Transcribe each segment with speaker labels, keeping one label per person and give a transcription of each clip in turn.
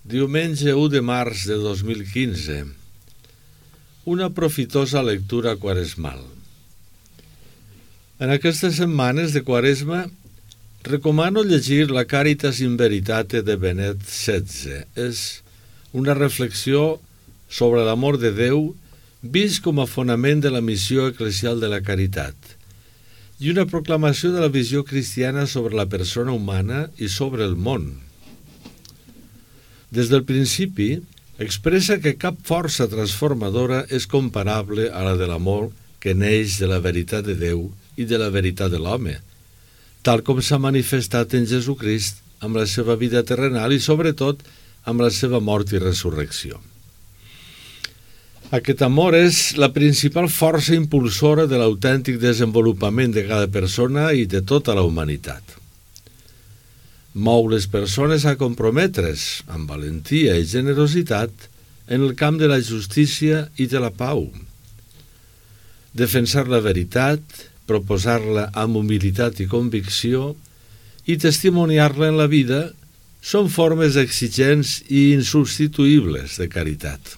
Speaker 1: Diumenge 1 de març de 2015. Una profitosa lectura quaresmal. En aquestes setmanes de Quaresma recomano llegir la Caritas in Veritate de Benet XVI. És una reflexió sobre l'amor de Déu vist com a fonament de la missió eclesial de la caritat i una proclamació de la visió cristiana sobre la persona humana i sobre el món. Des del principi, expressa que cap força transformadora és comparable a la de l'amor que neix de la veritat de Déu i de la veritat de l'home, tal com s'ha manifestat en Jesucrist amb la seva vida terrenal i, sobretot, amb la seva mort i resurrecció. Aquest amor és la principal força impulsora de l'autèntic desenvolupament de cada persona i de tota la humanitat. Mou les persones a comprometre's amb valentia i generositat en el camp de la justícia i de la pau. Defensar la veritat, proposar-la amb humilitat i convicció i testimoniar-la en la vida són formes exigents i insubstituïbles de caritat.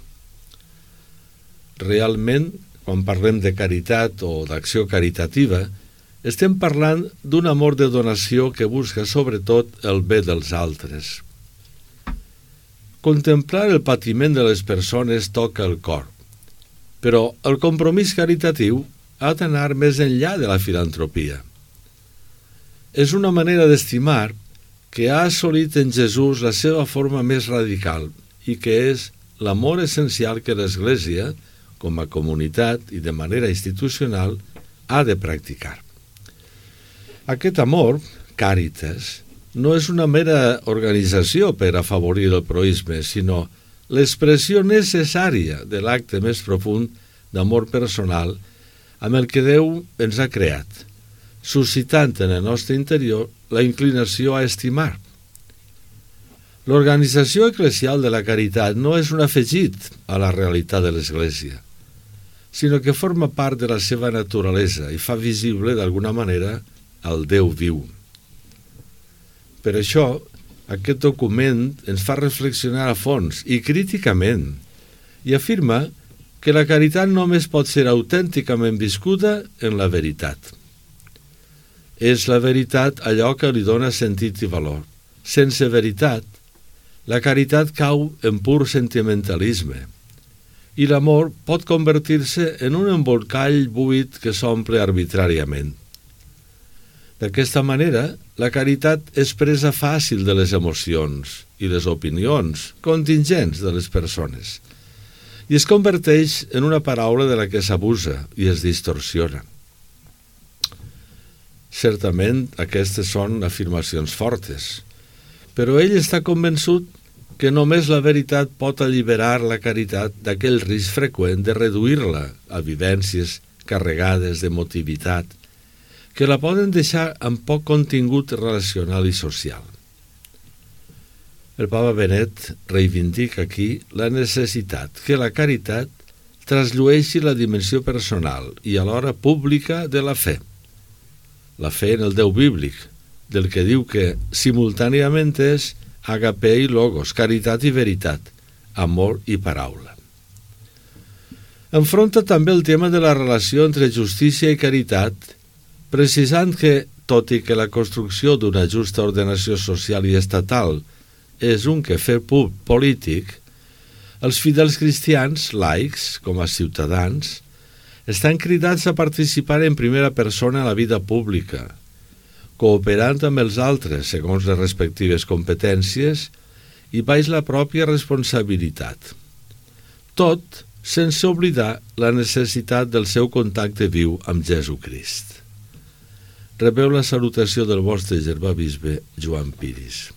Speaker 1: Realment, quan parlem de caritat o d'acció caritativa, estem parlant d'un amor de donació que busca sobretot el bé dels altres. Contemplar el patiment de les persones toca el cor, però el compromís caritatiu ha d'anar més enllà de la filantropia. És una manera d'estimar que ha assolit en Jesús la seva forma més radical i que és l'amor essencial que l'Església, com a comunitat i de manera institucional, ha de practicar. Aquest amor, Càritas, no és una mera organització per afavorir el proïsme, sinó l'expressió necessària de l'acte més profund d'amor personal amb el que Déu ens ha creat, suscitant en el nostre interior la inclinació a estimar. L'organització eclesial de la caritat no és un afegit a la realitat de l'Església, sinó que forma part de la seva naturalesa i fa visible, d'alguna manera, el Déu viu. Per això, aquest document ens fa reflexionar a fons i críticament i afirma que la caritat només pot ser autènticament viscuda en la veritat. És la veritat allò que li dona sentit i valor. Sense veritat, la caritat cau en pur sentimentalisme i l'amor pot convertir-se en un embolcall buit que s'omple arbitràriament. D'aquesta manera, la caritat és presa fàcil de les emocions i les opinions contingents de les persones i es converteix en una paraula de la que s'abusa i es distorsiona. Certament, aquestes són afirmacions fortes, però ell està convençut que només la veritat pot alliberar la caritat d'aquell risc freqüent de reduir-la a vivències carregades d'emotivitat que la poden deixar amb poc contingut relacional i social. El Papa Benet reivindica aquí la necessitat que la caritat trasllueixi la dimensió personal i alhora pública de la fe en el Déu bíblic, del que diu que simultàniament és agape i logos, caritat i veritat, amor i paraula. Enfronta també el tema de la relació entre justícia i caritat, precisant que, tot i que la construcció d'una justa ordenació social i estatal és un quefer polític, els fidels cristians, laics, com a ciutadans, estan cridats a participar en primera persona a la vida pública, cooperant amb els altres segons les respectives competències i baix la pròpia responsabilitat. Tot sense oblidar la necessitat del seu contacte viu amb Jesucrist. Rebeu la salutació del vostre germà bisbe Joan Piris.